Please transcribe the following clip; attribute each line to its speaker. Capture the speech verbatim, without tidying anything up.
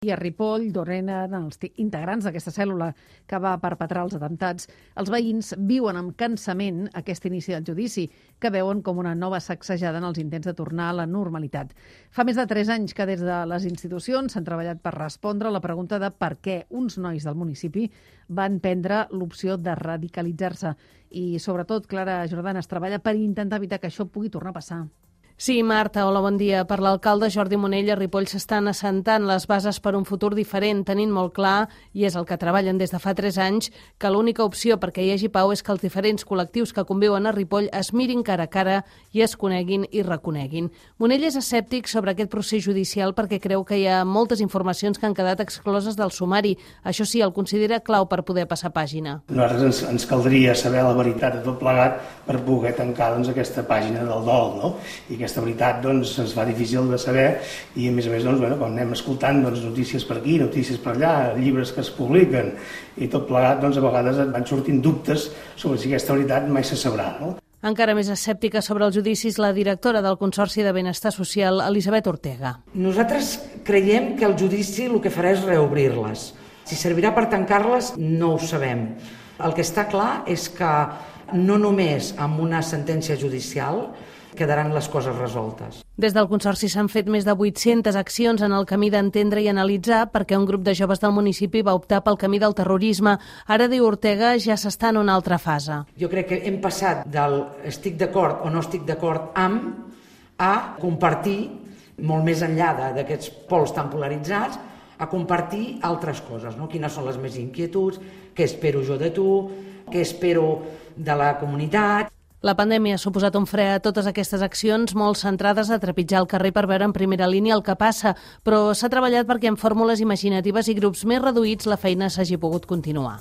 Speaker 1: I a Ripoll, d'on eren els integrants d'aquesta cèl·lula que va perpetrar els atemptats, els veïns viuen amb cansament aquest inici del judici, que veuen com una nova sacsejada en els intents de tornar a la normalitat. Fa més de tres anys que des de les institucions s'han treballat per respondre a la pregunta de per què uns nois del municipi van prendre l'opció de radicalitzar-se. I, sobretot, Clara Jordana es treballa per intentar evitar que això pugui tornar a passar.
Speaker 2: Sí, Marta, hola, bon dia. Per l'alcalde Jordi Monell, a Ripoll s'estan assentant les bases per un futur diferent, tenint molt clar, i és el que treballen des de fa tres anys, que l'única opció perquè hi hagi pau és que els diferents col·lectius que conviuen a Ripoll es mirin cara a cara i es coneguin i reconeguin. Monell és escèptic sobre aquest procés judicial perquè creu que hi ha moltes informacions que han quedat excloses del sumari. Això sí, el considera clau per poder passar pàgina.
Speaker 3: Nosaltres ens, ens caldria saber la veritat de tot plegat per poder tancar doncs, aquesta pàgina del dol, no? I aquesta Aquesta veritat doncs, ens fa difícil de saber i, a més a més, doncs, bueno, quan anem escoltant doncs, notícies per aquí, notícies per allà, llibres que es publiquen i tot plegat, doncs, a vegades et van sortint dubtes sobre si aquesta veritat mai se sabrà, no?
Speaker 2: Encara més escèptica sobre els judicis la directora del Consorci de Benestar Social, Elisabet Ortega.
Speaker 4: Nosaltres creiem que el judici el que farà és reobrir-les. Si servirà per tancar-les, no ho sabem. El que està clar és que no només amb una sentència judicial quedaran les coses resoltes.
Speaker 2: Des del Consorci s'han fet més de vuit-centes accions en el camí d'entendre i analitzar perquè un grup de joves del municipi va optar pel camí del terrorisme. Ara, diu Ortega, ja s'està en una altra fase.
Speaker 4: Jo crec que hem passat del estic d'acord o no estic d'acord amb a compartir, molt més enllà d'aquests pols tan polaritzats, a compartir altres coses, no? Quines són les més inquietuds, què espero jo de tu, què espero de la comunitat.
Speaker 2: La pandèmia ha suposat un fre a totes aquestes accions, molt centrades a trepitjar el carrer per veure en primera línia el que passa, però s'ha treballat perquè amb fórmules imaginatives i grups més reduïts la feina s'hagi pogut continuar.